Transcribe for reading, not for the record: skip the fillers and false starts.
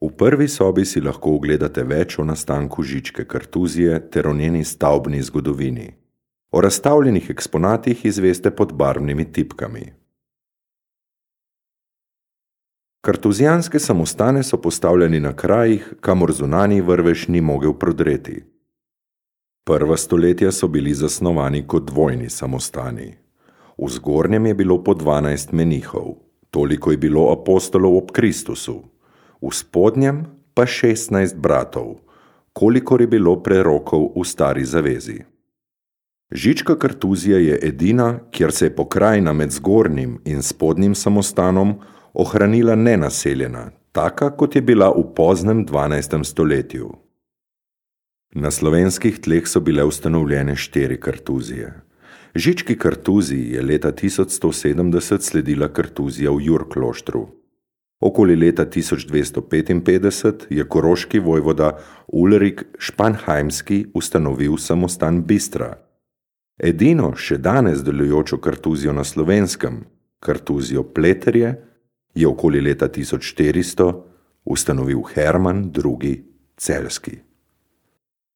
V prvi sobi si lahko ogledate več o nastanku Žičke kartuzije ter o njeni stavbni zgodovini. O razstavljenih eksponatih izveste pod barvnimi tipkami. Kartuzijanske samostane so postavljeni na krajih, kamor zunanji vrvež ni mogel prodreti. Prva stoletja so bili zasnovani kot dvojni samostani. V zgornjem je bilo po 12 menihov, toliko je bilo apostolov ob Kristusu, v spodnjem pa 16 bratov, kolikor je bilo prerokov v Stari zavezi. Žička kartuzija je edina, kjer se je pokrajina med zgornjim in spodnjim samostanom ohranila nenaseljena, taka kot je bila v poznem 12. stoletju. Na slovenskih tleh so bile ustanovljene 4 kartuzije. Žički kartuziji je leta 1170 sledila kartuzija v Jurkloštru. Okoli leta 1255 je koroški vojvoda Ulrik Španheimski ustanovil samostan Bistra. Edino še danes delujočo kartuzijo na Slovenskem, kartuzijo Pleterje, je okoli leta 1400 ustanovil Herman II. Celjski.